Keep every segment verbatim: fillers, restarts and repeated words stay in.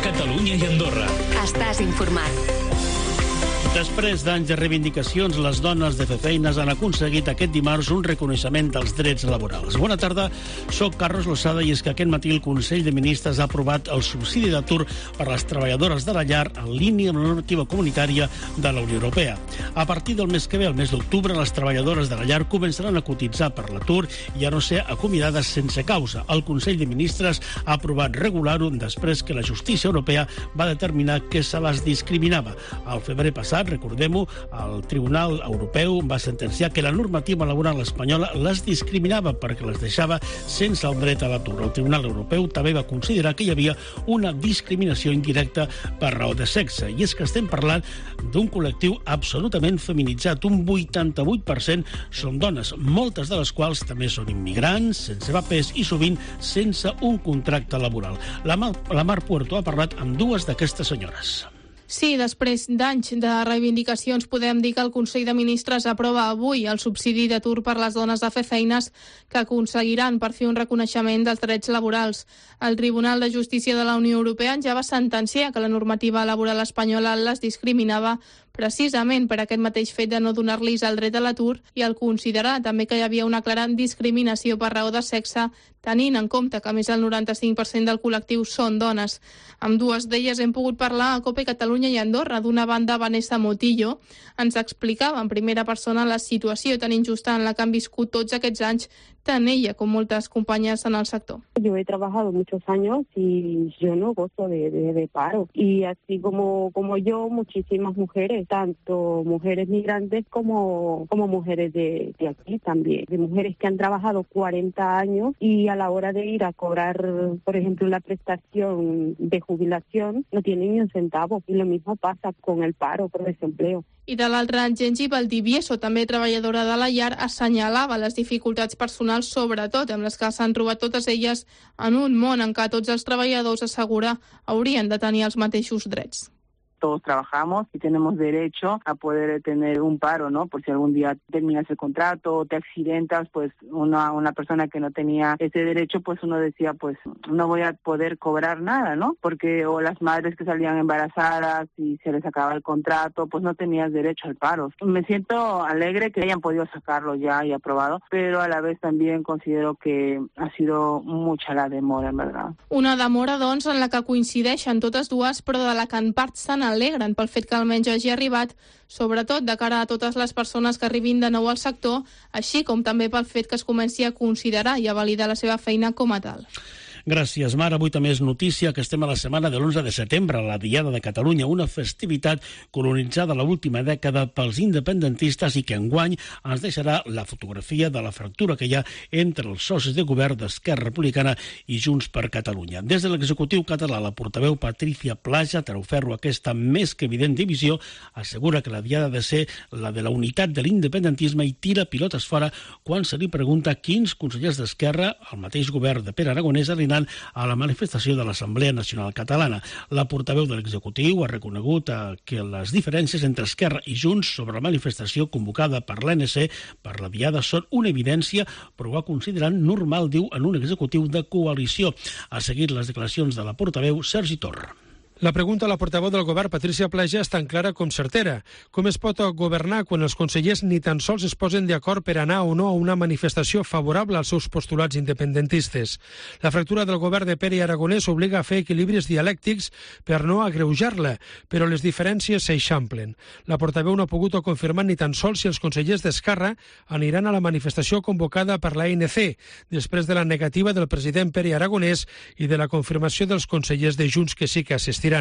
Catalunya i Andorra. Estàs informat. Després d'anys de reivindicacions, les dones de fer feines han aconseguit aquest dimarts un reconeixement dels drets laborals. Bona tarda, soc Carlos Losada i és que aquest matí el Consell de Ministres ha aprovat el subsidi d'atur per a les treballadores de la llar en línia amb la normativa comunitària de la Unió Europea. A partir del mes que ve, el mes d'octubre, les treballadores de la llar començaran a cotitzar per l'atur i a no ser acomiadades sense causa. El Consell de Ministres ha aprovat regular-ho després que la justícia europea va determinar que se les discriminava. Al febrer passat, recordem-ho, el Tribunal Europeu va sentenciar que la normativa laboral espanyola les discriminava perquè les deixava sense el dret a l'atur. El Tribunal Europeu també va considerar que hi havia una discriminació indirecta per raó de sexe. I és que estem parlant d'un col·lectiu absolutament feminitzat. Un vuitanta-vuit per cent són dones, moltes de les quals també són immigrants, sense papers i sovint sense un contracte laboral. La Mar, la Mar Puerto ha parlat amb dues d'aquestes senyores. Sí, després d'anys de reivindicacions podem dir que el Consell de Ministres aprova avui el subsidi d'atur per les dones de fer feines que aconseguiran per fi un reconeixement dels drets laborals. El Tribunal de Justícia de la Unió Europea ja va sentenciar que la normativa laboral espanyola les discriminava precisament per aquest mateix fet de no donar-los el dret a l'atur i el considerar també que hi havia una clara discriminació per raó de sexe, tenint en compte que més del noranta-cinc per cent del col·lectiu són dones. Amb dues d'elles hem pogut parlar a COPE Catalunya i Andorra. D'una banda, Vanessa Motillo ens explicava en primera persona la situació tan injusta en la que han viscut tots aquests anys, tant ella com moltes companyes en el sector. Yo he trabajado muchos años y yo no gozo de, de, de paro. Y así como, como yo, muchísimas mujeres, tanto mujeres migrantes como, como mujeres de, de aquí también. De mujeres que han trabajado cuarenta años y a la hora de ir a cobrar, por ejemplo, la prestación de jubilación, no tienen ni un centavo. Y lo mismo pasa con el paro por desempleo. I de l'altra, Gengi Valdivieso, també treballadora de la llar, assenyalava les dificultats personals, sobretot amb les que s'han trobat totes elles en un món en què tots els treballadors, assegura, haurien de tenir els mateixos drets. Todos trabajamos y tenemos derecho a poder tener un paro, ¿no? Por si algún día terminas el contrato o te accidentas, pues una, una persona que no tenía ese derecho, pues uno decía, pues no voy a poder cobrar nada, ¿no? Porque o las madres que salían embarazadas y se les acaba el contrato, pues no tenías derecho al paro. Me siento alegre que hayan podido sacarlo ya y aprobado, pero a la vez también considero que ha sido mucha la demora, en verdad. Una demora, doncs, en la que coincideixen totes dues, però de la que en part s'han alegren pel fet que almenys hagi arribat, sobretot de cara a totes les persones que arribin de nou al sector, així com també pel fet que es comenci a considerar i a validar la seva feina com a tal. Gràcies, Mar. Avui també és notícia que estem a la setmana de l'onze de setembre, la Diada de Catalunya, una festivitat colonitzada l'última dècada pels independentistes i que enguany ens deixarà la fotografia de la fractura que hi ha entre els socis de govern d'Esquerra Republicana i Junts per Catalunya. Des de l'executiu català, la portaveu Patricia Plaja treu ferro aquesta més que evident divisió, assegura que la Diada ha de ser la de la unitat de l'independentisme i tira pilotes fora quan se li pregunta quins consellers d'Esquerra, el mateix govern de Pere Aragonès, a la manifestació de l'Assemblea Nacional Catalana. La portaveu de l'executiu ha reconegut que les diferències entre Esquerra i Junts sobre la manifestació convocada per l'A N C per la Diada són una evidència, però ho ha considerat normal, diu, en un executiu de coalició. Ha seguit les declaracions de la portaveu Sergi Torra. La pregunta a la portaveu del govern, Patricia Plaja, és tan clara com certera. Com es pot governar quan els consellers ni tan sols es posen d'acord per anar o no a una manifestació favorable als seus postulats independentistes? La fractura del govern de Pere Aragonès obliga a fer equilibris dialèctics per no agreujar-la, però les diferències s'eixamplen. La portaveu no ha pogut confirmar ni tan sols si els consellers d'Esquerra aniran a la manifestació convocada per l'A N C, després de la negativa del president Pere Aragonès i de la confirmació dels consellers de Junts que sí que assistiran.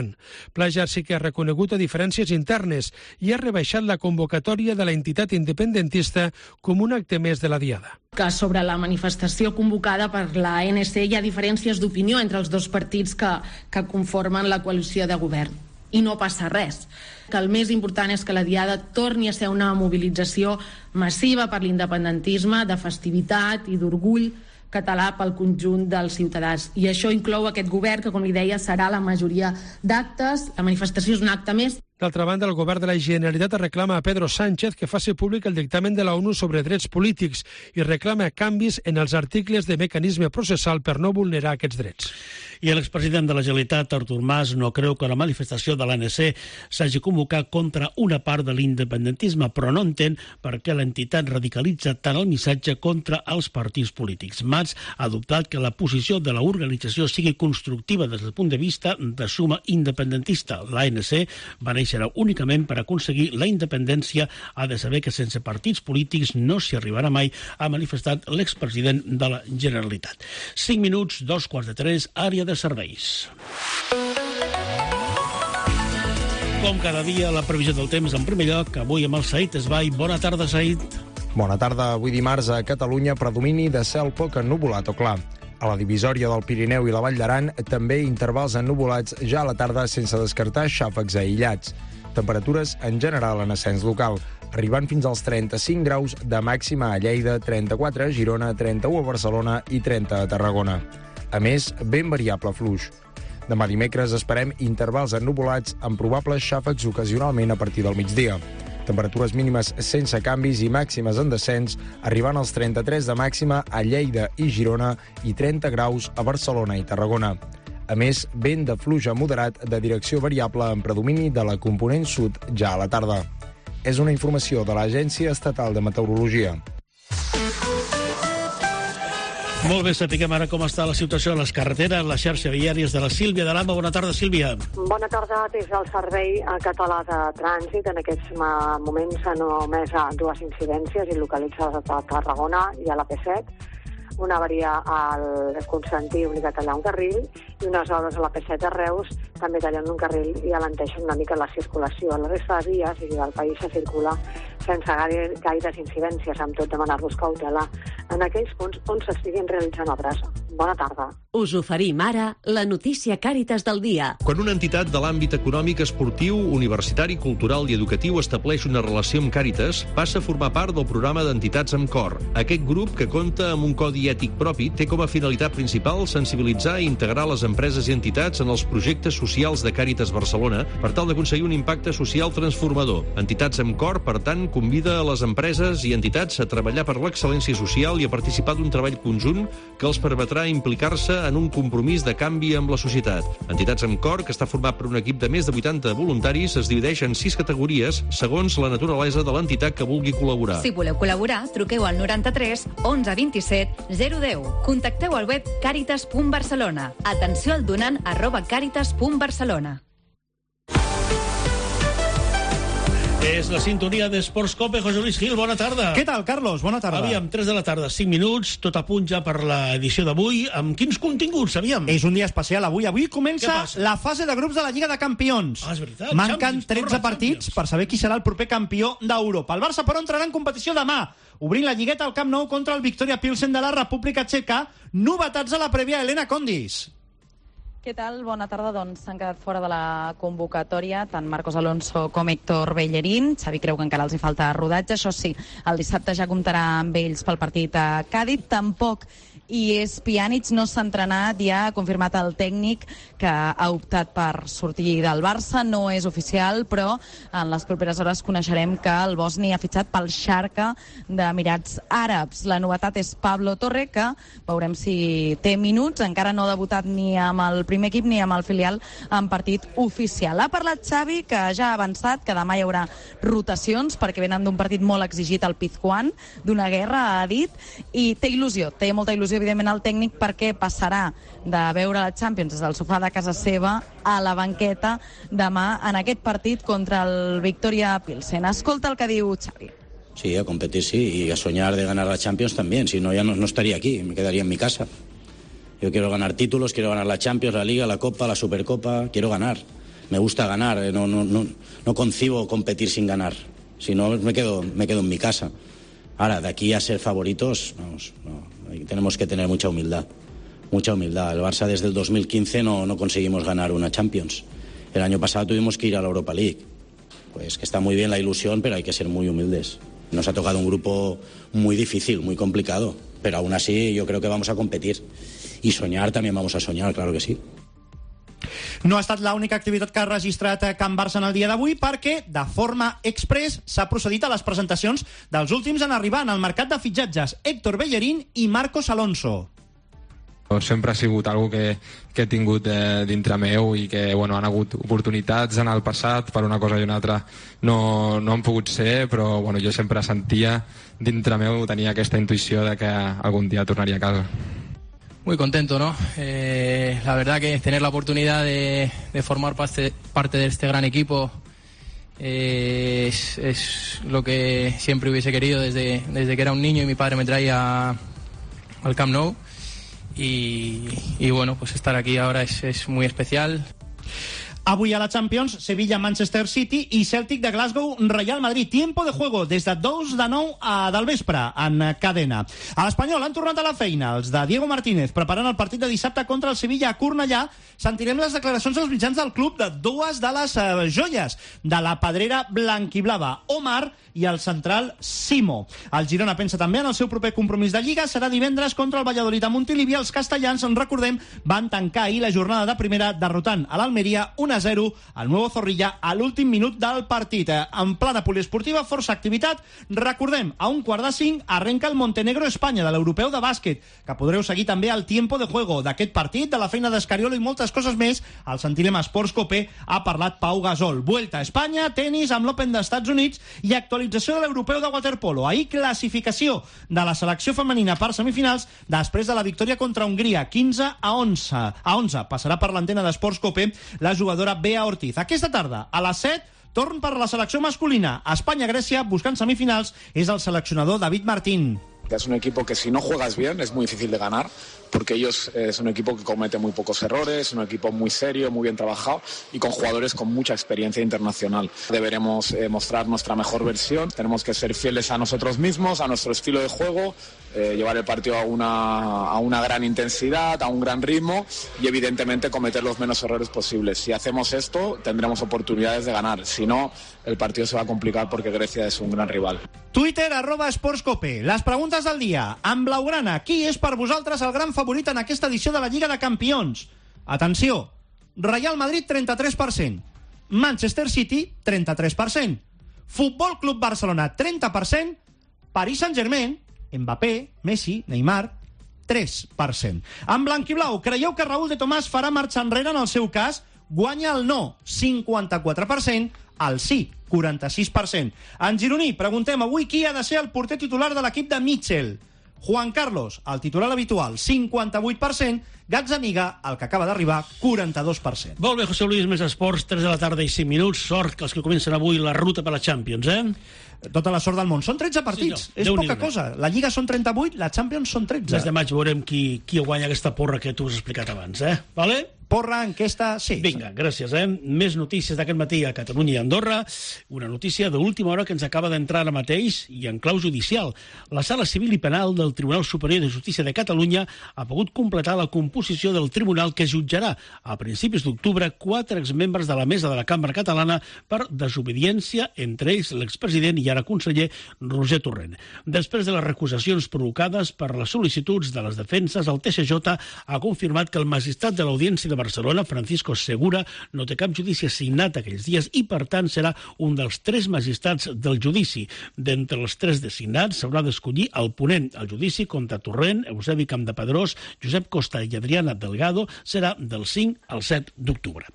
Plaja sí que ha reconegut diferències internes i ha rebaixat la convocatòria de la entitat independentista com un acte més de la Diada. Que sobre la manifestació convocada per la A N C hi ha diferències d'opinió entre els dos partits que, que conformen la coalició de govern. I no passa res. Que el més important és que la Diada torni a ser una mobilització massiva per l'independentisme, de festivitat i d'orgull català pel conjunt dels ciutadans. I això inclou aquest govern que, com li deia, serà la majoria d'actes. La manifestació és un acte més. D'altra banda, el govern de la Generalitat reclama a Pedro Sánchez que faci públic el dictamen de la ONU sobre drets polítics i reclama canvis en els articles de mecanisme processal per no vulnerar aquests drets. I l'expresident de la Generalitat, Artur Mas, no creu que la manifestació de l'A N C s'hagi convocat contra una part de l'independentisme, però no entén per què l'entitat radicalitza tant el missatge contra els partits polítics. Mas ha adoptat que la posició de l'organització sigui constructiva des del punt de vista de suma independentista. L'A N C va néixer únicament per aconseguir la independència. Ha de saber que sense partits polítics no s'hi arribarà mai, ha manifestat l'expresident de la Generalitat. cinc minuts, dos quarts de tres, àrea de serveis. Com cada dia, la previsió del temps en primer lloc, avui amb el Said Esbai. Bona tarda, Said. Bona tarda. Avui dimarts a Catalunya predomini de cel poc ennuvolat o clar. A la divisòria del Pirineu i la Vall d'Aran també intervals ennuvolats ja a la tarda sense descartar xàfecs aïllats. Temperatures en general en ascens local, arribant fins als trenta-cinc graus de màxima a Lleida, trenta-quatre a Girona, trenta-u a Barcelona i trenta a Tarragona. A més, ben variable fluix. Demà dimecres esperem intervals ennuvolats amb probables xàfecs ocasionalment a partir del migdia. Temperatures mínimes sense canvis i màximes en descens, arribant als trenta-tres de màxima a Lleida i Girona i trenta graus a Barcelona i Tarragona. A més, vent de fluix moderat de direcció variable en predomini de la component sud ja a la tarda. És una informació de l'Agència Estatal de Meteorologia. Molt bé, sapiguem ara com està la situació a les carreteres, la xarxa viàries de la Sílvia de l'Ama. Bona tarda, Sílvia. Bona tarda. Des del Servei Català de Trànsit, en aquests moments s'han omès dues incidències localitzades a Tarragona i a la P set. Una avaria al Constantí obligat a tallar un carril i unes obres a la P set de Reus també tallant un carril i alenteixen una mica la circulació. A la resta de vies i del país se circula sense gaire, gaires incidències, amb tot demanar-vos cautela en aquells punts on s'estiguin realitzant obres. Bona tarda. Us oferim ara la notícia Càritas del dia. Quan una entitat de l'àmbit econòmic, esportiu, universitari, cultural i educatiu estableix una relació amb Càritas, passa a formar part del programa d'entitats amb cor. Aquest grup, que compta amb un codi ètic propi, té com a finalitat principal sensibilitzar i integrar les empreses i entitats en els projectes socials de Càritas Barcelona per tal d'aconseguir un impacte social transformador. Entitats amb cor, per tant, convida a les empreses i entitats a treballar per l'excel·lència social i a participar d'un treball conjunt que els permetrà implicar-se en un compromís de canvi amb la societat. Entitats amb cor, que està format per un equip de més de vuitanta voluntaris, es divideix en sis categories segons la naturalesa de l'entitat que vulgui col·laborar. Si voleu col·laborar, truqueu al noranta-tres onze vint-i-set zero deu. Contacteu al web càritas punt barcelona. Atenció al donant arroba càritas punt barcelona. És la sintonia d'Esports Cope. José Luis Gil, bona tarda. Què tal, Carlos? Bona tarda. Aviam, tres de la tarda, cinc minuts, tot a punt ja per l'edició d'avui. Amb quins continguts, aviam? És un dia especial avui. Avui comença la fase de grups de la Lliga de Campions. Ah, és veritat. Manquen tretze partits per saber qui serà el proper campió d'Europa. El Barça, però, entrarà en competició demà, obrint la lligueta al Camp Nou contra el Victoria Pilsen de la República Txeca. Novetats a la prèvia, Helena Condis. Què tal? Bona tarda. Doncs s'han quedat fora de la convocatòria tant Marcos Alonso com Héctor Bellerín. Xavi creu que encara els hi falta rodatge. Això sí, el dissabte ja comptarà amb ells pel partit a Càdiz. Tampoc i és Pjanic, no s'ha entrenat, ja ha confirmat el tècnic que ha optat per sortir del Barça. No és oficial, però en les properes hores coneixerem que el bosni ha fitxat pel Schalke d'Emirats Àrabs. La novetat és Pablo Torre, que veurem si té minuts. Encara no ha debutat ni amb el primer equip ni amb el filial en partit oficial. Ha parlat Xavi, que ja ha avançat que demà hi haurà rotacions perquè venen d'un partit molt exigit al Pizjuán, d'una guerra, ha dit, i té il·lusió, té molta il·lusió evidentment el tècnic, perquè passarà de veure la Champions des del sofà de casa seva a la banqueta demà en aquest partit contra el Victoria Pilsen. Escolta el que diu Xavi. Sí, a competir sí, y a soñar de ganar la Champions también, si no ya no, no estaría aquí, me quedaría en mi casa. Yo quiero ganar títulos, quiero ganar la Champions, la Liga, la Copa, la Supercopa, quiero ganar. Me gusta ganar, no, no, no, no concibo competir sin ganar, si no me quedo, me quedo en mi casa. Ahora, de aquí a ser favoritos, vamos, no. Tenemos que tener mucha humildad, mucha humildad. El Barça desde el dos mil quince no, no conseguimos ganar una Champions. El año pasado tuvimos que ir a la Europa League. Pues que está muy bien la ilusión, pero hay que ser muy humildes. Nos ha tocado un grupo muy difícil, muy complicado, pero aún así yo creo que vamos a competir. Y soñar también vamos a soñar, claro que sí. No ha estat l'única activitat que ha registrat Can Barça en el dia d'avui, perquè de forma express s'ha procedit a les presentacions dels últims en arribar en el mercat de fitxatges, Héctor Bellerín i Marcos Alonso. Sempre ha sigut algo que, que he tingut eh, dintre meu i que bueno, han hagut oportunitats en el passat per una cosa i una altra no, no han pogut ser, però bueno, jo sempre sentia dintre meu, tenia aquesta intuïció de que algun dia tornaria a casa. Muy contento, ¿no? Eh, la verdad que tener la oportunidad de, de formar parte, parte de este gran equipo eh, es, es lo que siempre hubiese querido desde, desde que era un niño y mi padre me traía al Camp Nou. Y, y bueno, pues estar aquí ahora es, es muy especial. Avui a la Champions, Sevilla-Manchester City i Celtic de Glasgow-Real Madrid. Tiempo de juego des de dos de nou a del vespre en cadena. A l'Espanyol han tornat a la feina els de Diego Martínez preparant el partit de dissabte contra el Sevilla a Cornellà. Sentirem les declaracions dels mitjans del club de dues de les eh, joies de la pedrera blanquiblava, Omar i el central Simo. El Girona pensa també en el seu proper compromís de Lliga. Serà divendres contra el Valladolid a Montilivi. Els castellans, en recordem, van tancar ahir la jornada de primera derrotant a l'Almeria un a zero al Nuevo Zorrilla a l'últim minut del partit. En plana poliesportiva, força activitat. Recordem, a un quart de cinc arrenca el Montenegro-Espanya de l'Europeu de bàsquet, que podreu seguir també al tiempo de juego d'aquest partit, de la feina d'Escariolo i moltes coses més. Al Sentirem Esports Copé ha parlat Pau Gasol. Vuelta a Espanya, tenis amb l'Open d'Estats Units i actualització de l'Europeu de waterpolo. Ahir classificació de la selecció femenina per semifinals després de la victòria contra Hongria, quinze a onze. A onze passarà per l'antena d'Esports Copé la jugadora Bea Ortiz. Aquesta tarda, a les set, torn per la selecció masculina. Espanya-Grècia, buscant semifinals, és el seleccionador David Martín. Es un equipo que si no juegas bien es muy difícil de ganar, porque ellos eh, es un equipo que comete muy pocos errores, un equipo muy serio, muy bien trabajado y con jugadores con mucha experiencia internacional. Deberemos eh, mostrar nuestra mejor versión, tenemos que ser fieles a nosotros mismos, a nuestro estilo de juego, eh, llevar el partido a una, a una gran intensidad, a un gran ritmo y evidentemente cometer los menos errores posibles. Si hacemos esto tendremos oportunidades de ganar, si no el partido se va a complicar porque Grecia es un gran rival. Twitter, arroba esportscope. Les preguntes del dia. En blaugrana, qui és per vosaltres el gran favorit en aquesta edició de la Lliga de Campions? Atenció, Real Madrid, trenta-tres per cent. Manchester City, trenta-tres per cent. Futbol Club Barcelona, trenta per cent. Paris Saint-Germain, Mbappé, Messi, Neymar, tres per cent. En blanquiblau, creieu que Raúl de Tomàs farà marxa enrere en el seu cas? Guanya el no, cinquanta-quatre per cent. El sí, quaranta-sis per cent. En gironí, preguntem avui qui ha de ser el porter titular de l'equip de Mitchell. Juan Carlos, el titular habitual, cinquanta-vuit per cent. Gazzaniga, el que acaba d'arribar, quaranta-dos per cent. Molt bé, José Luis, més esports, tres de la tarda i cinc minuts. Sort que els que comencen avui la ruta per la Champions, eh? Tota la sort del món. Són tretze partits, sí, no. És poca cosa. La Lliga són trenta-vuit, la Champions són tretze. Des de maig veurem qui, qui guanya aquesta porra que tu has explicat abans, eh? Vale? Porra, enquesta, sí. Vinga, gràcies, eh? Més notícies d'aquest matí a Catalunya i Andorra. Una notícia d'última hora que ens acaba d'entrar ara mateix i en clau judicial. La Sala Civil i Penal del Tribunal Superior de Justícia de Catalunya ha pogut completar la composició del tribunal que jutjarà a principis d'octubre quatre exmembres de la mesa de la Cambra Catalana per desobediència, entre ells l'expresident i ara conseller Roger Torrent. Després de les recusacions provocades per les sol·licituds de les defenses, el T S J ha confirmat que el magistrat de l'Audiència de Barcelona, Francisco Segura, no té cap judici assignat aquells dies i, per tant, serà un dels tres magistrats del judici. D'entre els tres designats s'haurà d'escollir el ponent. El judici contra Torrent, Eusebi Campdepadrós, Josep Costa i Adriana Delgado serà del cinc al set d'octubre.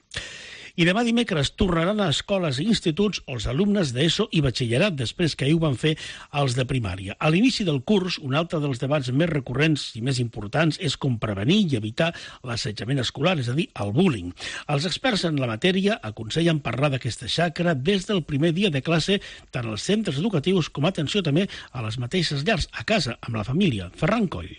I demà dimecres tornaran a escoles i instituts els alumnes d'ESO i batxillerat, després que ahir ho van fer els de primària. A l'inici del curs, un altre dels debats més recurrents i més importants és com prevenir i evitar l'assetjament escolar, és a dir, el bullying. Els experts en la matèria aconsellen parlar d'aquesta xacra des del primer dia de classe, tant als centres educatius com, atenció, també a les mateixes llars, a casa, amb la família. Ferran Coll.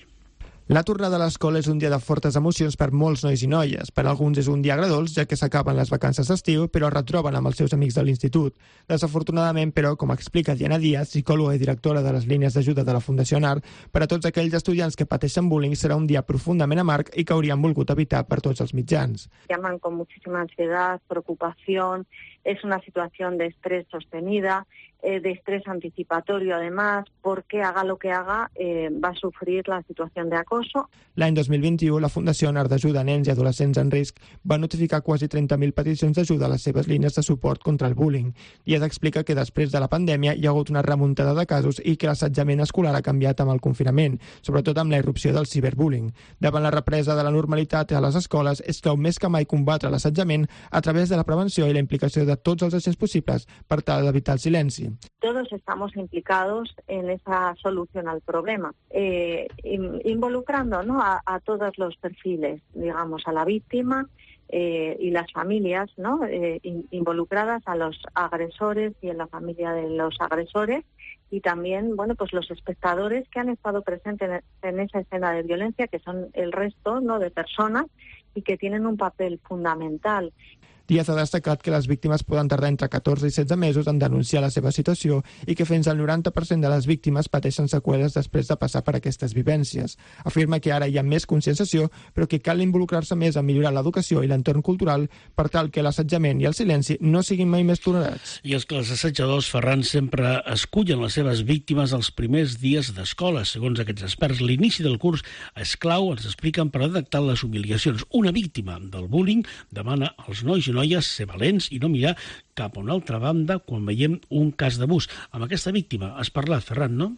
La tornada a l'escola és un dia de fortes emocions per molts nois i noies. Per alguns és un dia agradolç, ja que s'acaben les vacances d'estiu, però es retroben amb els seus amics de l'institut. Desafortunadament, però, com explica Diana Díaz, psicòloga i directora de les línies d'ajuda de la Fundació ANAR, per a tots aquells estudiants que pateixen bullying serà un dia profundament amarg i que haurien volgut evitar per tots els mitjans. Llaman con muchísima ansiedad, preocupación, es una situación de estrés sostenida, eh, de estrés anticipatorio además, porque haga lo que haga eh, va a sufrir la situación de acoso. L'any dos mil vint-i-u, la Fundació Anar d'Ajuda a Nens i Adolescents en Risc va notificar quasi trenta mil peticions d'ajuda a les seves línies de suport contra el bullying. I es explica que després de la pandèmia hi ha hagut una remuntada de casos i que l'assetjament escolar ha canviat amb el confinament, sobretot amb la irrupció del ciberbullying. Davant la represa de la normalitat a les escoles, és clau més que mai combatre l'assetjament a través de la prevenció i la implicació de tots els agents possibles per tal d'evitar el silenci. Todos estamos implicados en esa solución al problema, eh, involucrando, ¿no?, a, a todos los perfiles, digamos, a la víctima eh, y las familias, ¿no?, eh, in, involucradas, a los agresores y en la familia de los agresores, y también, bueno, pues los espectadores que han estado presentes en, en esa escena de violencia, que son el resto, ¿no?, de personas y que tienen un papel fundamental. Díaz ha destacat que les víctimes poden tardar entre catorze i setze mesos en denunciar la seva situació i que fins al noranta per cent de les víctimes pateixen seqüeles després de passar per aquestes vivències. Afirma que ara hi ha més conscienciació, però que cal involucrar-se més en millorar l'educació i l'entorn cultural per tal que l'assetjament i el silenci no siguin mai més tolerats. I és que els assetjadors, Ferran, sempre escullen les seves víctimes els primers dies d'escola. Segons aquests experts, l'inici del curs és clau, ens expliquen, per detectar les humiliacions. Una víctima del bullying demana als nois i noies ser valents i no mirar cap a una altra banda quan veiem un cas d'abús. Amb aquesta víctima has parlat, Ferran, no?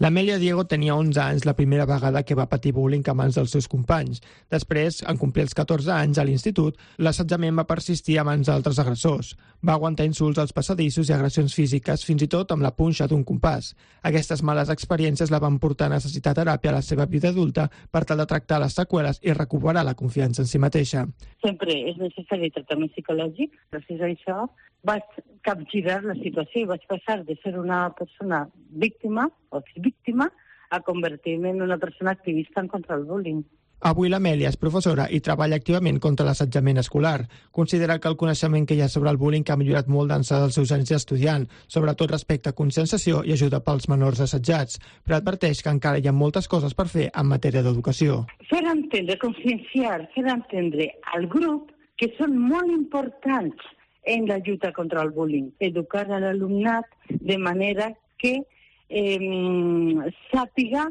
L'Amèlia Diego tenia onze anys la primera vegada que va patir bullying a mans dels seus companys. Després, en complir els catorze anys a l'institut, l'assetjament va persistir a mans d'altres agressors. Va aguantar insults als passadissos i agressions físiques, fins i tot amb la punxa d'un compàs. Aquestes males experiències la van portar a necessitar teràpia a la seva vida adulta per tal de tractar les seqüeles i recuperar la confiança en si mateixa. Sempre és necessari tractament psicològic, gràcies a això vaig capgirar la situació i vaig passar de ser una persona víctima o exvíctima a convertir-me en una persona activista en contra del bullying. Avui l'Amèlia és professora i treballa activament contra l'assetjament escolar. Considera que el coneixement que hi ha sobre el bullying ha millorat molt d'ençà dels seus anys d'estudiant, sobretot respecte a conscienciació i ajuda pels menors assetjats, però adverteix que encara hi ha moltes coses per fer en matèria d'educació. Fer entendre, conscienciar, fer entendre al grup que són molt importants en la lluita contra el bullying. Educar a l'alumnat de manera que eh, sàpiga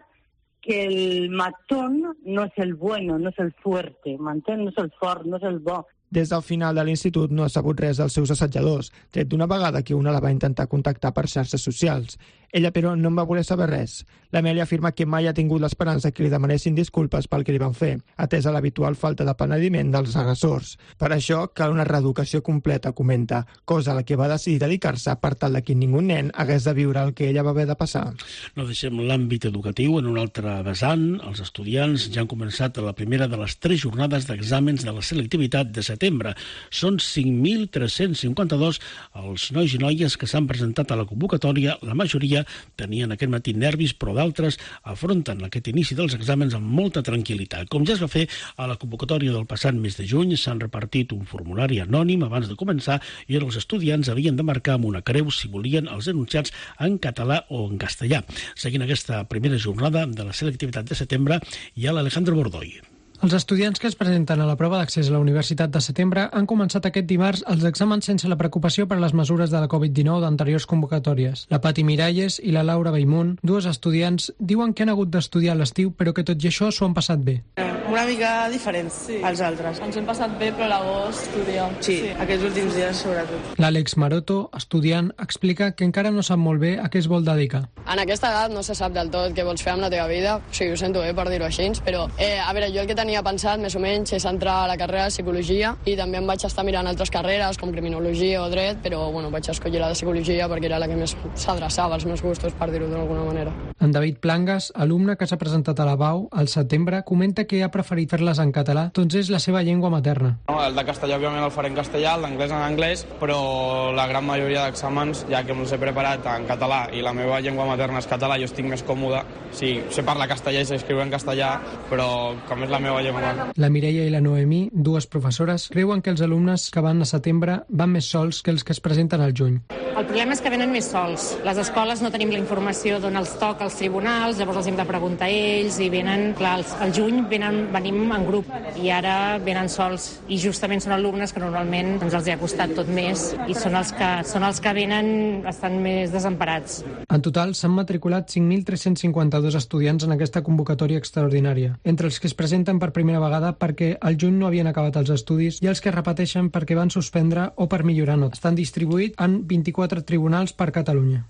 que el matón no és el bueno, no és el fuerte, m'entén? No és el fort, no és el bo. Des del final de l'institut no ha sabut res dels seus assetjadors, tret d'una vegada que una la va intentar contactar per xarxes socials. Ella, però, no en va voler saber res. L'Amèlia afirma que mai ha tingut l'esperança que li demanessin disculpes pel que li van fer, atesa l'habitual falta de penediment dels agressors. Per això cal una reeducació completa, comenta, cosa a la que va decidir dedicar-se per tal que ningú nen hagués de viure el que ella va haver de passar. No deixem l'àmbit educatiu en un altre vessant. Els estudiants ja han començat la primera de les tres jornades d'exàmens de la selectivitat de setembre. Són cinc mil tres-cents cinquanta-dos els nois i noies que s'han presentat a la convocatòria. La majoria tenien aquest matí nervis, però d'altres afronten aquest inici dels exàmens amb molta tranquil·litat. Com ja es va fer a la convocatòria del passat mes de juny, s'han repartit un formulari anònim abans de començar i els estudiants havien de marcar amb una creu si volien els enunciats en català o en castellà. Seguint aquesta primera jornada de la selectivitat de setembre, hi ha l'Alejandro Bordoy. Els estudiants que es presenten a la prova d'accés a la Universitat de setembre han començat aquest dimarts els exàmens sense la preocupació per les mesures de la covid dinou d'anteriors convocatòries. La Pati Miralles i la Laura Baimunt, dues estudiants, diuen que han hagut d'estudiar a l'estiu, però que tot i això s'ho han passat bé. Una mica diferents sí. als altres. Ens hem passat bé, però a l'agost estudiam. Sí, sí, aquests últims dies sobretot. L'Àlex Maroto, estudiant, explica que encara no sap molt bé a què es vol dedicar. En aquesta edat no se sap del tot què vols fer amb la teva vida, o sigui, ho sento bé per dir-ho així, però eh, a veure, jo el que tenia pensat més o menys és entrar a la carrera de Psicologia i també em vaig estar mirant altres carreres com Criminologia o Dret, però bueno, vaig escollir la de Psicologia perquè era la que més s'adreçava als meus gustos, per dir-ho d'alguna manera. En David Plangas, alumne que s'ha presentat a la B A U al setembre, comenta que ha preferit fer-les en català, doncs és la seva llengua materna. No, el de castellà òbviament el faré en castellà, el d'anglès en anglès, però la gran majoria d'exàmens, ja que me'ls he preparat en català i la meva llengua materna és català, jo estic més còmode. Sí, sé parlar castellà i sé escriure en castellà, però com és la meva llengua materna. La Mireia i la Noemí, dues professores, creuen que els alumnes que van a setembre van més sols que els que es presenten al juny. El problema és que venen més sols. Les escoles no tenim la informació d'on els toca als tribunals, llavors els hem de preguntar a ells, i venen, clar, al juny venen, venim en grup, i ara venen sols. I justament són alumnes que normalment doncs, els hi ha costat tot més, i són els que, són els que venen estan més desemparats. En total, s'han matriculat cinc mil tres-cents cinquanta-dos estudiants en aquesta convocatòria extraordinària, entre els que es presenten per primera vegada perquè al juny no havien acabat els estudis i els que repeteixen perquè van suspendre o per millorar notes. Estan distribuïts en vint-i-quatre tribunals per Catalunya.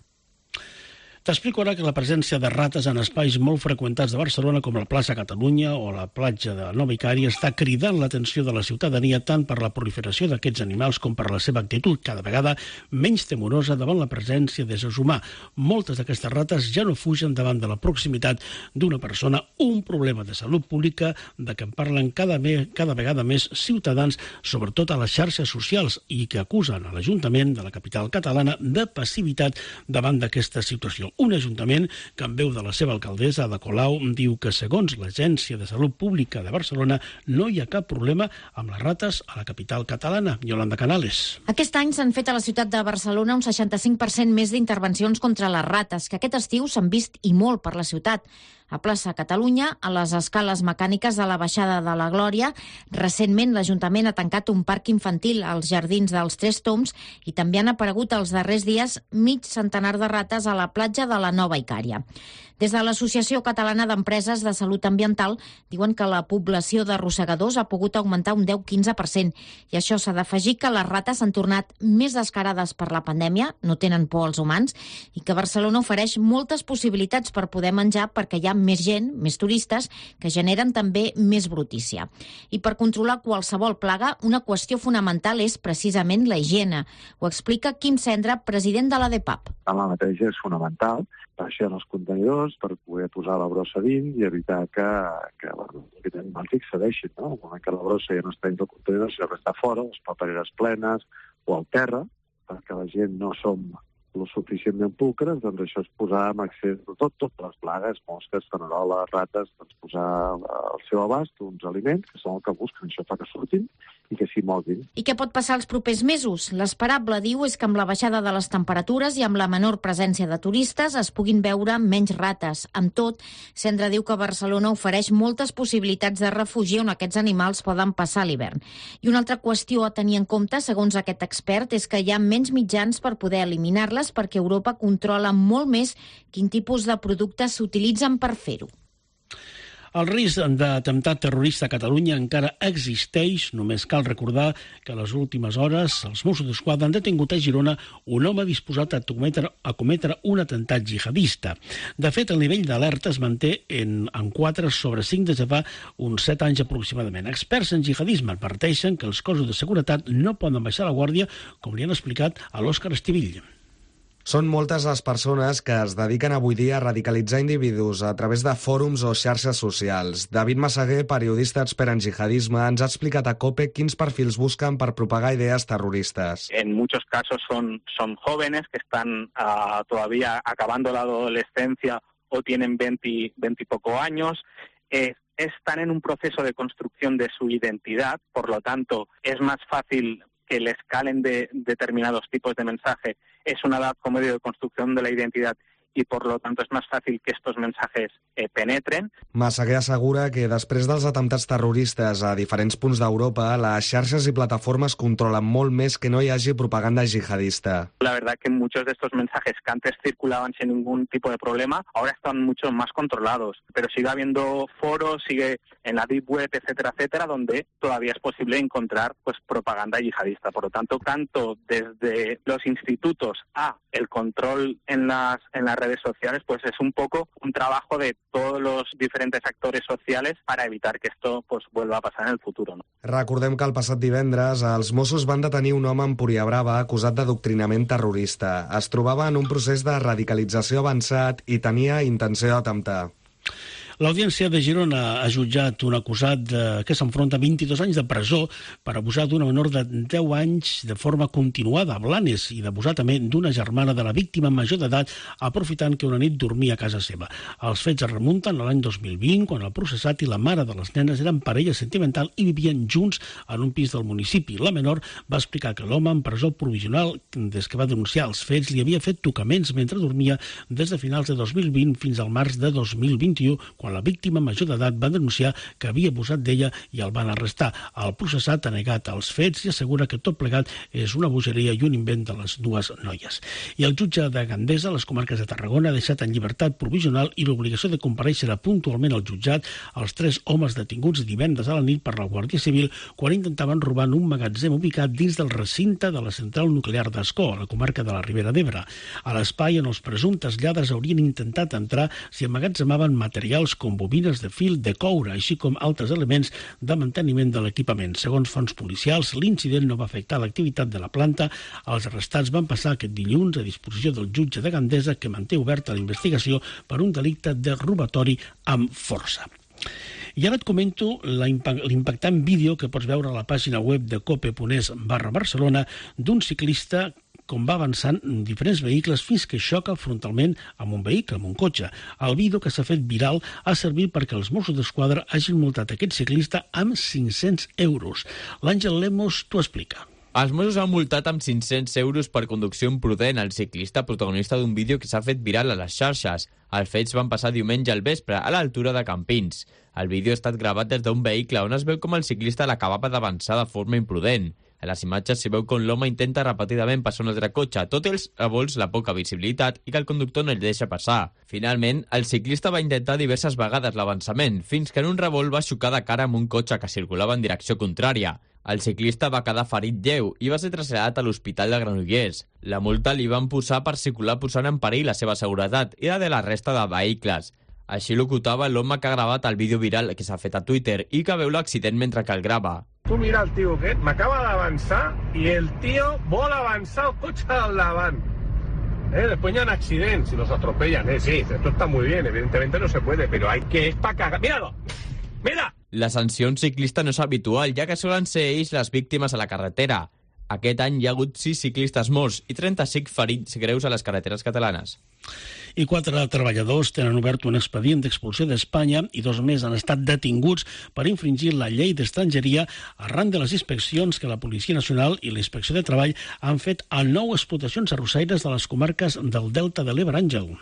T'explico ara que la presència de rates en espais molt freqüentats de Barcelona, com la plaça Catalunya o la platja de Nova Icària, està cridant l'atenció de la ciutadania tant per la proliferació d'aquests animals com per la seva actitud cada vegada menys temorosa davant la presència d'éssers humà. Moltes d'aquestes rates ja no fugen davant de la proximitat d'una persona, un problema de salut pública de què en parlen cada, me, cada vegada més ciutadans, sobretot a les xarxes socials, i que acusen a l'Ajuntament de la capital catalana de passivitat davant d'aquesta situació. Un ajuntament que, en veu de la seva alcaldessa, Ada Colau, diu que, segons l'Agència de Salut Pública de Barcelona, no hi ha cap problema amb les rates a la capital catalana. Yolanda Canales. Aquest any s'han fet a la ciutat de Barcelona un seixanta-cinc per cent més d'intervencions contra les rates, que aquest estiu s'han vist i molt per la ciutat. A plaça Catalunya, a les escales mecàniques de la baixada de la Glòria. Recentment, l'Ajuntament ha tancat un parc infantil als jardins dels Tres Tombs i també han aparegut els darrers dies mig centenar de rates a la platja de la Nova Icària. Des de l'Associació Catalana d'Empreses de Salut Ambiental diuen que la població de rosegadors ha pogut augmentar un deu a quinze per cent i això s'ha d'afegir que les rates han tornat més descarades per la pandèmia, no tenen por als humans, i que Barcelona ofereix moltes possibilitats per poder menjar perquè hi ha més gent, més turistes, que generen també més brutícia. I per controlar qualsevol plaga, una qüestió fonamental és precisament la higiene. Ho explica Quim Cendra, president de l'A D P A P. La neteja és fonamental, baixar els contenidors per poder posar la brossa dins i evitar que, que, bueno, que els animals hi accedeixin, no? El moment que la brossa ja no està dins del contenidor, sinó que està fora, les papereres plenes o al terra, perquè la gent no som lo suficientment pulcres, doncs això és posar amb accés de tot, totes les plagues, mosques, faneroles, rates, doncs posar al seu abast uns aliments que són el que busquen, això fa que surtin i que s'hi moguin. I què pot passar els propers mesos? L'esperable, diu, és que amb la baixada de les temperatures i amb la menor presència de turistes es puguin veure menys rates. Amb tot, Cendra diu que Barcelona ofereix moltes possibilitats de refugi on aquests animals poden passar l'hivern. I una altra qüestió a tenir en compte, segons aquest expert, és que hi ha menys mitjans per poder eliminar-les perquè Europa controla molt més quin tipus de productes s'utilitzen per fer-ho. El risc d'atemptat terrorista a Catalunya encara existeix. Només cal recordar que a les últimes hores els Mossos d'Esquadra han detingut a Girona un home disposat a cometre, a cometre un atemptat jihadista. De fet, el nivell d'alerta es manté en, en quatre sobre cinc des de fa uns set anys aproximadament. Experts en jihadisme adverteixen que els cossos de seguretat no poden baixar la guàrdia, com li han explicat a l'Òscar Estivill. Són moltes les persones que es dediquen avui dia a radicalitzar individus a través de fòrums o xarxes socials. David Massaguer, periodista expert en jihadisme, ens ha explicat a COPE quins perfils buscan per propagar ideas terroristas. En muchos casos son, son jóvenes que están uh, todavía acabando la adolescencia o tienen veinte, veinte y poco años. Eh, están en un proceso de construcción de su identidad, por lo tanto es más fácil que les calen de determinados tipos de mensaje. Es una edad como medio de construcción de la identidad i, per lo tanto, és més fàcil que estos mensajes eh, penetren. Massaguer assegura que després dels atemptats terroristes a diferents punts d'Europa, les xarxes i plataformes controlen molt més que no hi hagi propaganda jihadista. La verdad que muchos de estos mensajes que antes circulaban sin ningún tipo de problema, ahora están mucho más controlados. Pero sigue habiendo foros, sigue en la deep web, etcétera, etcétera, donde todavía es posible encontrar pues propaganda yihadista. Por lo tanto, tanto desde los institutos a el control en las, en las redes sociales, pues es un poco un trabajo de todos los diferentes actores sociales para evitar que esto pues vuelva a pasar en el futuro, ¿no? Recordem que el passat divendres els Mossos van detenir un home en Empuriabrava acusat d'adoctrinament terrorista. Es trobava en un procés de radicalització avançat i tenia intenció d'atemptar. L'Audiència de Girona ha jutjat un acusat de, que s'enfronta a vint-i-dos anys de presó per abusar d'una menor de deu anys de forma continuada a Blanes i d'abusar també d'una germana de la víctima major d'edat aprofitant que una nit dormia a casa seva. Els fets es remunten a l'any dos mil vint, quan el processat i la mare de les nenes eren parella sentimental i vivien junts en un pis del municipi. La menor va explicar que l'home en presó provisional, des que va denunciar els fets, li havia fet tocaments mentre dormia des de finals de dos mil vint fins al març de dos mil vint-i-u, quan la víctima major d'edat va denunciar que havia abusat d'ella i el van arrestar. El processat ha negat els fets i assegura que tot plegat és una bogeria i un invent de les dues noies. I el jutge de Gandesa, a les comarques de Tarragona, ha deixat en llibertat provisional i l'obligació de comparèixer puntualment al jutjat els tres homes detinguts divendres a la nit per la Guàrdia Civil quan intentaven robar en un magatzem ubicat dins del recinte de la central nuclear d'Ascó, a la comarca de la Ribera d'Ebre. A l'espai on els presumptes lladres haurien intentat entrar s'hi emmagatzemaven materials com bobines de fil de coure, així com altres elements de manteniment de l'equipament. Segons fonts policials, l'incident no va afectar l'activitat de la planta. Els arrestats van passar aquest dilluns a disposició del jutge de Gandesa, que manté oberta la investigació per un delicte de robatori amb força. I ara et comento l'impactant vídeo que pots veure a la pàgina web de cope.es barra Barcelona d'un ciclista com va avançant en diferents vehicles fins que xoca frontalment amb un vehicle, amb un cotxe. El vídeo, que s'ha fet viral, ha servit perquè els Mossos d'Esquadra hagin multat aquest ciclista amb cinc-cents euros. L'Àngel Lemos t'ho explica. Els Mossos han multat amb cinc-cents euros per conducció imprudent el ciclista protagonista d'un vídeo que s'ha fet viral a les xarxes. Els fets van passar diumenge al vespre, a l'altura de Campins. El vídeo ha estat gravat des d'un vehicle on es veu com el ciclista l'acabava d'avançar de forma imprudent. A les imatges s'hi veu com l'home intenta repetidament passar un altre cotxe, tot i els revolts la poca visibilitat i que el conductor no el deixa passar. Finalment, el ciclista va intentar diverses vegades l'avançament, fins que en un revolt va xocar de cara amb un cotxe que circulava en direcció contrària. El ciclista va quedar ferit lleu i va ser traslladat a l'Hospital de Granollers. La multa li van posar per circular posant en perill la seva seguretat i la de la resta de vehicles. Així locutava l'home que ha gravat el vídeo viral que s'ha fet a Twitter i que veu l'accident mentre que el grava. Tu mira el tio aquest, m'acaba d'avançar i el tio vol avançar el cotxe al davant. Eh, después ya hay accidentes y los atropellan. Eh, sí, esto está muy bien, evidentemente no se puede, pero hay que... es para cagar. ¡Míralo! ¡Mira! La sanció a un ciclista no és habitual, ja que solen ser ells les víctimes a la carretera. Aquest any hi ha hagut sis ciclistes morts i trenta-cinc ferits greus a les carreteres catalanes. I quatre treballadors tenen obert un expedient d'expulsió d'Espanya i dos més han estat detinguts per infringir la llei d'estrangeria arran de les inspeccions que la Policia Nacional i la Inspecció de Treball han fet a nou explotacions arrossaires de les comarques del Delta de l'Ebre. Àngel.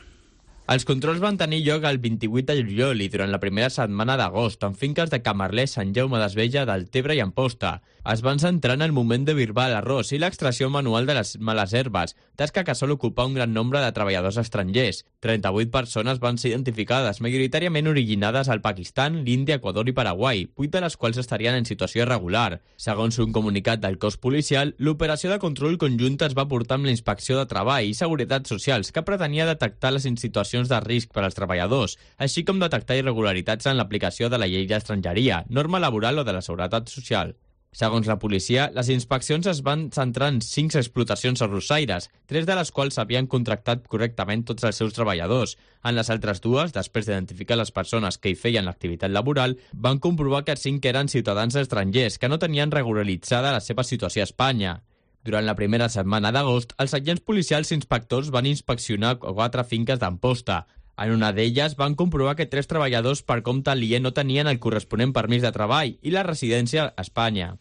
Els controls van tenir lloc el vint-i-vuit de juliol i durant la primera setmana d'agost en finques de Camarles, Sant Jaume d'Esvella, Deltebre i Amposta. Es van centrar en el moment de birbar l'arròs i l'extracció manual de les males herbes, tasca que sol ocupar un gran nombre de treballadors estrangers. trenta-vuit persones van ser identificades, majoritàriament originades al Pakistan, l'Índia, Equador i Paraguai, vuit de les quals estarien en situació irregular. Segons un comunicat del cos policial, l'operació de control conjunta es va portar amb la Inspecció de Treball i Seguretat Socials, que pretenia detectar les situacions de risc per als treballadors, així com detectar irregularitats en l'aplicació de la llei d'estrangeria, norma laboral o de la seguretat social. Segons la policia, les inspeccions es van centrar en cinc explotacions arrossaires, tres de les quals havien contractat correctament tots els seus treballadors. En les altres dues, després d'identificar les persones que hi feien l'activitat laboral, van comprovar que cinc eren ciutadans estrangers que no tenien regularitzada la seva situació a Espanya. Durant la primera setmana d'agost, els agents policials i inspectors van inspeccionar quatre finques d'Amposta. En una d'elles van comprovar que tres treballadors per compte aliè no tenien el corresponent permís de treball i la residència a Espanya.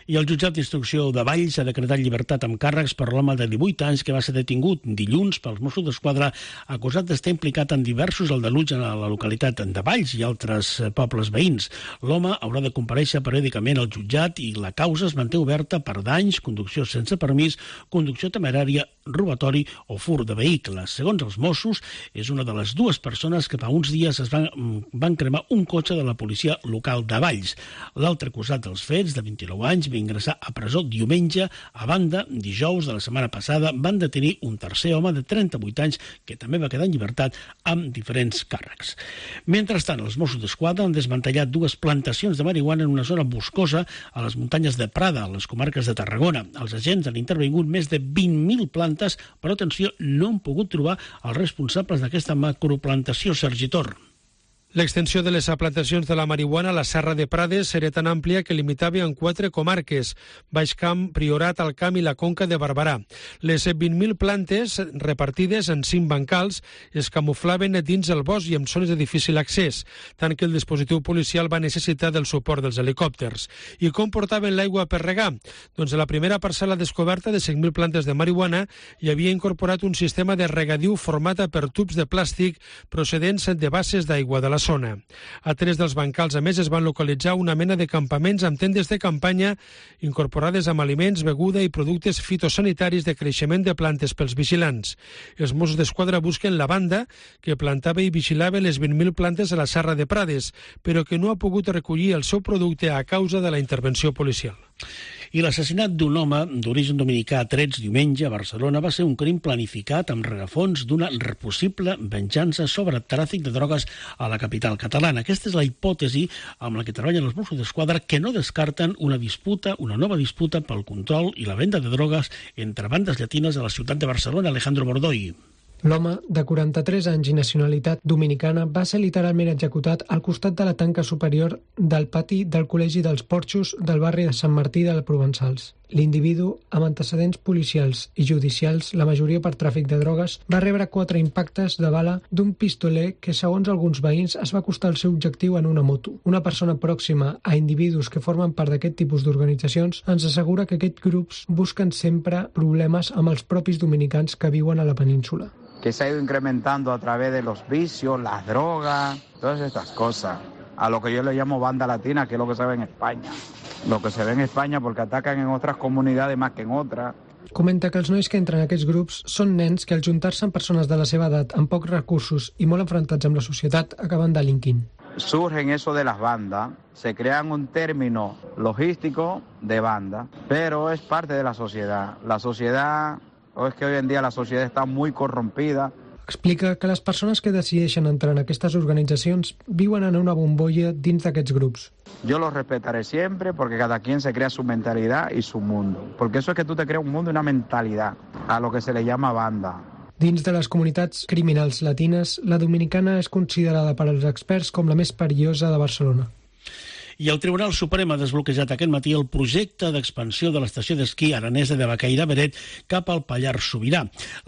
I el jutjat d'instrucció de Valls ha decretat llibertat amb càrrecs per l'home de divuit anys que va ser detingut dilluns pels Mossos d'Esquadra acusat d'estar implicat en diversos aldarulls a la localitat de Valls i altres pobles veïns. L'home haurà de comparèixer periòdicament al jutjat i la causa es manté oberta per danys, conducció sense permís, conducció temerària, robatori o fur de vehicles. Segons els Mossos, és una de les dues persones que fa uns dies es van, van cremar un cotxe de la policia local de Valls. L'altre acusat dels fets, de vint-i-nou anys, va ingressar a presó diumenge. A banda, dijous de la setmana passada van detenir un tercer home de trenta-vuit anys que també va quedar en llibertat amb diferents càrrecs. Mentrestant, els Mossos d'Esquadra han desmantellat dues plantacions de marihuana en una zona boscosa a les muntanyes de Prada, a les comarques de Tarragona. Els agents han intervingut més de vint mil plantes, però atenció, no han pogut trobar els responsables d'aquesta macroplantació. Sergi Tor. L'extensió de les plantacions de la marihuana a la Serra de Prades era tan àmplia que limitava en quatre comarques: Baix Camp, Priorat, Alt Camp i la Conca de Barberà. Les vint mil plantes repartides en cinc bancals es camuflaven dins el bosc i en zones de difícil accés, tant que el dispositiu policial va necessitar del suport dels helicòpters. I com portaven l'aigua per regar? Doncs a la primera parcel·la descoberta de cinc mil plantes de marihuana hi havia incorporat un sistema de regadiu format per tubs de plàstic procedents de basses d'aigua de la zona. A tres dels bancals, a més, es van localitzar una mena de campaments amb tendes de campanya incorporades amb aliments, beguda i productes fitosanitaris de creixement de plantes pels vigilants. Els Mossos d'Esquadra busquen la banda que plantava i vigilava les vint mil plantes a la Serra de Prades, però que no ha pogut recollir el seu producte a causa de la intervenció policial. I l'assassinat d'un home d'origen dominicà a Trets diumenge a Barcelona va ser un crim planificat amb rerefons d'una possible venjança sobre tràfic de drogues a la capital catalana. Aquesta és la hipòtesi amb la que treballen els Mossos d'Esquadra, que no descarten una disputa, una nova disputa pel control i la venda de drogues entre bandes llatines a la ciutat de Barcelona. Alejandro Bordoy. L'home, de quaranta-tres anys i nacionalitat dominicana, va ser literalment executat al costat de la tanca superior del pati del Col·legi dels Porxos del barri de Sant Martí de Provençals. L'individu, amb antecedents policials i judicials, la majoria per tràfic de drogues, va rebre quatre impactes de bala d'un pistoler que, segons alguns veïns, es va acostar al seu objectiu en una moto. Una persona pròxima a individus que formen part d'aquest tipus d'organitzacions ens assegura que aquests grups busquen sempre problemes amb els propis dominicans que viuen a la península. Que se ha ido incrementando a través de los vicios, las drogas, todas estas cosas. A lo que yo le llamo banda latina, que es lo que se ve en España. Lo que se ve en España porque atacan en otras comunidades más que en otras. Comenta que els nois que entren en aquests grups són nens que al juntar-se amb persones de la seva edat amb pocs recursos i molt enfrontats amb la societat acaben delinquint. Surgen eso de las bandas, se crean un término logístico de banda, pero es parte de la sociedad. La sociedad... o es que hoy en día la sociedad está muy corrompida. Explica que les persones que decideixen entrar en aquestes organitzacions viuen en una bombolla dins d'aquests grups. Yo los respetaré siempre porque cada quien se crea su mentalidad y su mundo. Porque eso es que tú te creas un mundo y una mentalidad, a lo que se le llama banda. Dins de les comunitats criminals latines, la dominicana és considerada per als experts com la més perillosa de Barcelona. I el Tribunal Suprem ha desbloquejat aquest matí el projecte d'expansió de l'estació d'esquí aranesa de Baqueira-Beret cap al Pallars Sobirà.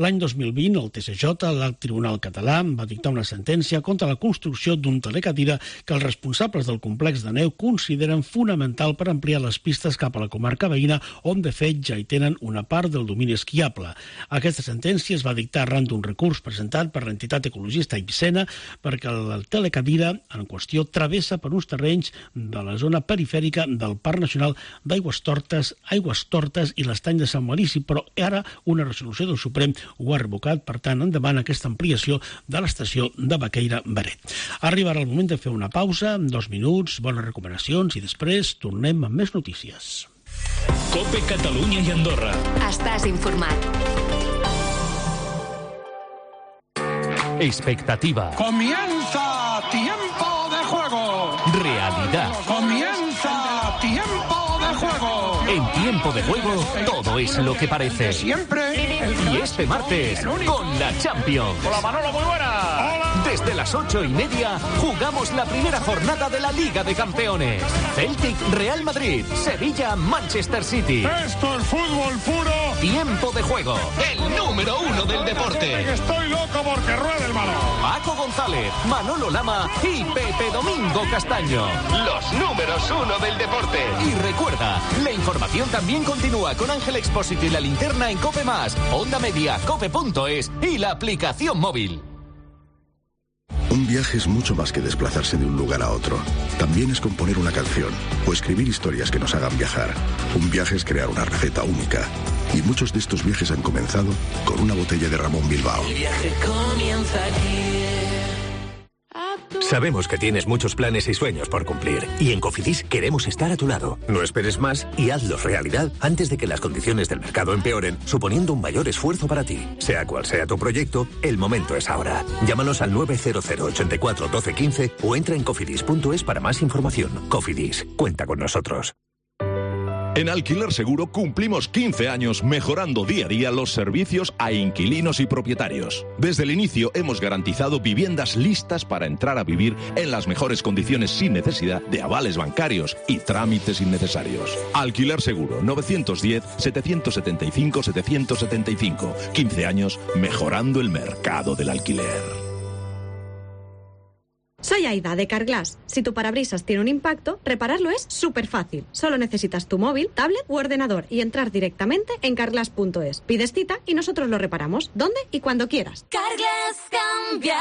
L'any dos mil vint, el T S J, el Tribunal Català, va dictar una sentència contra la construcció d'un telecadira que els responsables del complex de neu consideren fonamental per ampliar les pistes cap a la comarca veïna, on de fet ja hi tenen una part del domini esquiable. Aquesta sentència es va dictar arran d'un recurs presentat per l'entitat ecologista Ibsena perquè el telecadira en qüestió travessa per uns terrenys de de la zona perifèrica del Parc Nacional d'Aigües Tortes, Aigües Tortes i l'Estany de Sant Maurici, però ara una resolució del Suprem ho ha revocat, per tant, endavant aquesta ampliació de l'estació de Baqueira-Beret. Arribarà el moment de fer una pausa, dos minuts, bones recomanacions i després tornem amb més notícies. COPE Catalunya i Andorra. Estàs informat. Expectativa. Comienza tiempo de juego. Realidad. Comienza tiempo de juego. En tiempo de juego, todo es lo que parece. Siempre. Y este martes, con la Champions. Hola Manolo, muy buena. Hola. Desde las ocho y media, jugamos la primera jornada de la Liga de Campeones. Celtic, Real Madrid, Sevilla, Manchester City. Esto es fútbol puro. Tiempo de juego, el número uno del deporte. Estoy loco porque ruede el balón. Paco González, Manolo Lama y Pepe Domingo Castaño. Los números uno del deporte. Y recuerda, la información también continúa con Ángel Expósito y la linterna en COPE Más, Onda Media, cope punto es y la aplicación móvil. Un viaje es mucho más que desplazarse de un lugar a otro. También es componer una canción o escribir historias que nos hagan viajar. Un viaje es crear una receta única. Y muchos de estos viajes han comenzado con una botella de Ramón Bilbao. El viaje comienza aquí. Sabemos que tienes muchos planes y sueños por cumplir. Y en Cofidis queremos estar a tu lado. No esperes más y hazlos realidad antes de que las condiciones del mercado empeoren, suponiendo un mayor esfuerzo para ti. Sea cual sea tu proyecto, el momento es ahora. Llámanos al nueve cero cero, ochenta y cuatro, doce, quince o entra en cofidis punto es para más información. Cofidis, cuenta con nosotros. En Alquiler Seguro cumplimos quince años mejorando día a día los servicios a inquilinos y propietarios. Desde el inicio hemos garantizado viviendas listas para entrar a vivir en las mejores condiciones sin necesidad de avales bancarios y trámites innecesarios. Alquiler Seguro, nueve uno cero, siete siete cinco, siete siete cinco. quince años mejorando el mercado del alquiler. Soy Aida, de Carglass. Si tu parabrisas tiene un impacto, repararlo es súper fácil. Solo necesitas tu móvil, tablet u ordenador y entrar directamente en carglass punto es. Pides cita y nosotros lo reparamos, donde y cuando quieras. Carglass cambia,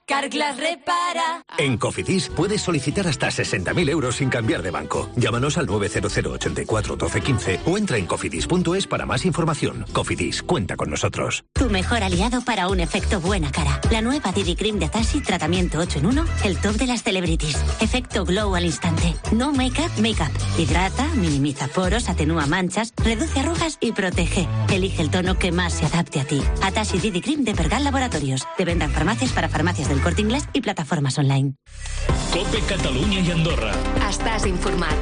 Carglass repara. En Cofidis puedes solicitar hasta sesenta mil euros sin cambiar de banco. Llámanos al nueve cero cero, ochenta y cuatro, doce, quince o entra en cofidis punto es para más información. Cofidis, cuenta con nosotros. Tu mejor aliado para un efecto buena cara. La nueva D D Cream de Tassi, tratamiento ocho en uno, el top de las celebrities. Efecto glow al instante. No make-up, make-up. Hidrata, minimiza poros, atenúa manchas, reduce arrugas y protege. Elige el tono que más se adapte a ti. Tassi D D Cream de Pergal Laboratorios. Te venda en farmacias para farmacias del Corte Inglés i plataformes online. Cope Catalunya i Andorra. Estàs informat.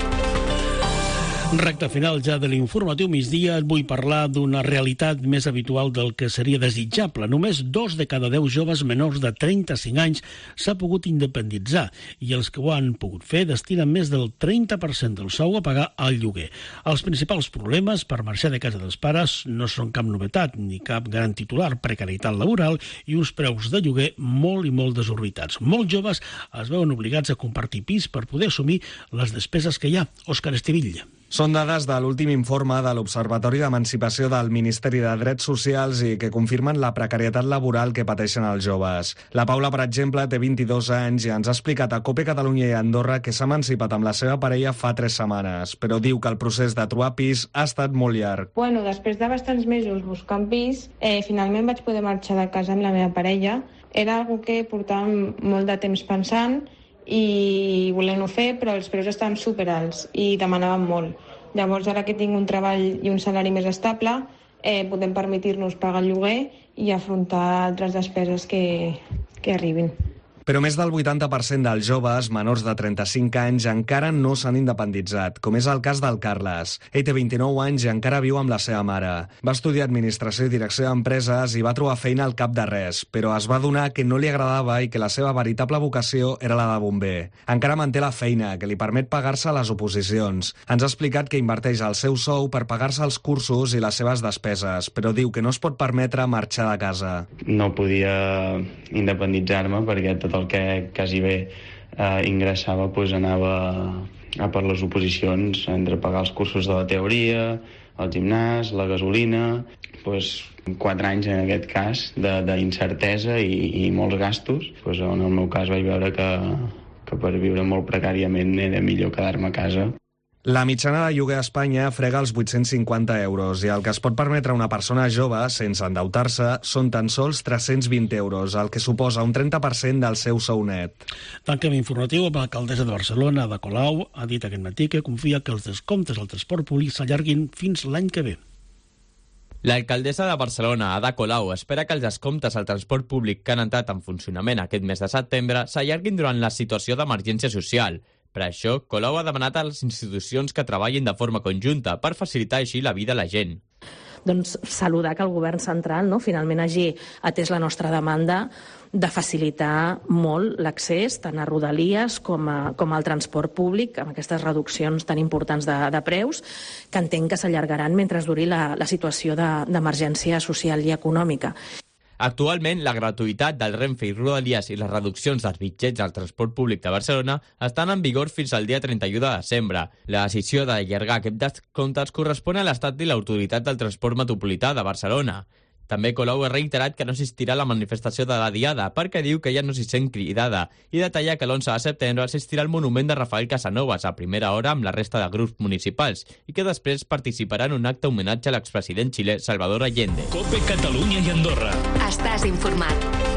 Recte final ja de l'informatiu migdia, et vull parlar d'una realitat més habitual del que seria desitjable. Només dos de cada deu joves menors de trenta-cinc anys s'ha pogut independitzar i els que ho han pogut fer destinen més del trenta per cent del sou a pagar el lloguer. Els principals problemes per marxar de casa dels pares no són cap novetat ni cap gran titular, precarietat laboral i uns preus de lloguer molt i molt desorbitats. Molts joves es veuen obligats a compartir pis per poder assumir les despeses que hi ha. Òscar Estivilla. Són dades de l'últim informe de l'Observatori d'Emancipació del Ministeri de Drets Socials i que confirmen la precarietat laboral que pateixen els joves. La Paula, per exemple, té vint-i-dos anys i ens ha explicat a Cope Catalunya i Andorra que s'ha emancipat amb la seva parella fa tres setmanes, però diu que el procés de trobar pis ha estat molt llarg. Bueno, després de bastants mesos buscant pis, eh, finalment vaig poder marxar de casa amb la meva parella. Era algo que portàvem molt de temps pensant i volent-ho fer, però els preus estaven superalts i demanaven molt. Llavors, ara que tinc un treball i un salari més estable, eh, podem permetir-nos pagar el lloguer i afrontar altres despeses que, que arribin. Però més del vuitanta per cent dels joves menors de trenta-cinc anys encara no s'han independitzat, com és el cas del Carles. Ell té vint-i-nou anys i encara viu amb la seva mare. Va estudiar Administració i Direcció d'Empreses i va trobar feina al cap de res, però es va adonar que no li agradava i que la seva veritable vocació era la de bomber. Encara manté la feina, que li permet pagar-se les oposicions. Ens ha explicat que inverteix el seu sou per pagar-se els cursos i les seves despeses, però diu que no es pot permetre marxar de casa. No podia independitzar-me perquè tot el que quasi bé eh, ingressava pues, anava a per les oposicions, entre pagar els cursos de la teoria, el gimnàs, la gasolina, pues, quatre anys en aquest cas d'incertesa i, i molts gastos, pues, en el meu cas vaig veure que, que per viure molt precàriament era millor quedar-me a casa. La mitjana de lloguer a Espanya frega els vuit-cents cinquanta euros i el que es pot permetre una persona jove sense endeutar-se són tan sols tres-cents vint euros, el que suposa un trenta per cent del seu sou net. Tanquem informatiu amb l'alcaldessa de Barcelona, Ada Colau, ha dit aquest matí que confia que els descomptes al transport públic s'allarguin fins l'any que ve. L'alcaldessa de Barcelona, Ada Colau, espera que els descomptes al transport públic que han entrat en funcionament aquest mes de setembre s'allarguin durant la situació d'emergència social. Per això, Colau ha demanat a les institucions que treballin de forma conjunta per facilitar així la vida a la gent. Doncs saludar que el govern central no, finalment hagi atès la nostra demanda de facilitar molt l'accés tant a Rodalies com, a, com al transport públic amb aquestes reduccions tan importants de, de preus que entenc que s'allargaran mentre duri la, la situació d'emergència de, social i econòmica. Actualment, la gratuïtat del Renfe i Rodalies i les reduccions dels bitllets al transport públic de Barcelona estan en vigor fins al dia trenta-u de desembre. La decisió d'allargar aquest descomptes correspon a l'Estat i l'Autoritat del Transport Metropolità de Barcelona. També Colau ha reiterat que no assistirà a la manifestació de la Diada perquè diu que ja no s'hi sent cridada i detalla que l'onze de setembre assistirà al monument de Rafael Casanovas a primera hora amb la resta de grups municipals i que després participarà en un acte homenatge a l'expresident xilè Salvador Allende. Cope Catalunya i Andorra. Estàs informat.